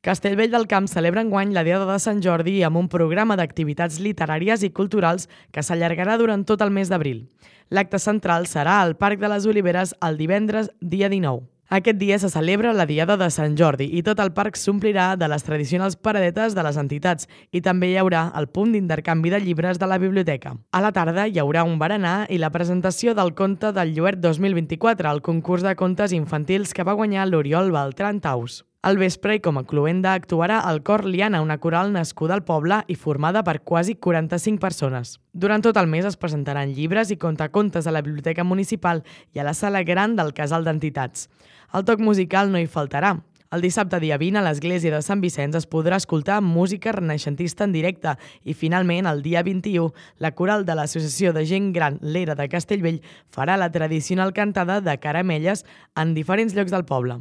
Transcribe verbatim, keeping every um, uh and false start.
Castellvell del Camp celebra enguany la Diada de Sant Jordi amb un programa d'activitats literàries i culturals que s'allargarà durant tot el mes d'abril. L'acte central serà al Parc de les Oliveres el divendres, dia dinou. Aquest dia se celebra la Diada de Sant Jordi i tot el parc s'omplirà de les tradicionals paradetes de les entitats i també hi haurà el punt d'intercanvi de llibres de la biblioteca. A la tarda hi haurà un berenar i la presentació del conte del Lluert dos mil vint-i-quatre, el concurs de contes infantils que va guanyar l'Oriol Beltran Taus. Al vespre, i com a cloenda, actuarà el Cor Liana, una coral nascuda al poble i formada per quasi quaranta-cinc persones. Durant tot el mes es presentaran llibres i contacontes a la Biblioteca Municipal i a la Sala Gran del Casal d'Entitats. El toc musical no hi faltarà. El dissabte dia vint a l'església de Sant Vicenç es podrà escoltar música renaixentista en directe i finalment el dia vint-i-u la coral de l'Associació de Gent Gran l'Era de Castellvell farà la tradicional cantada de caramelles en diferents llocs del poble.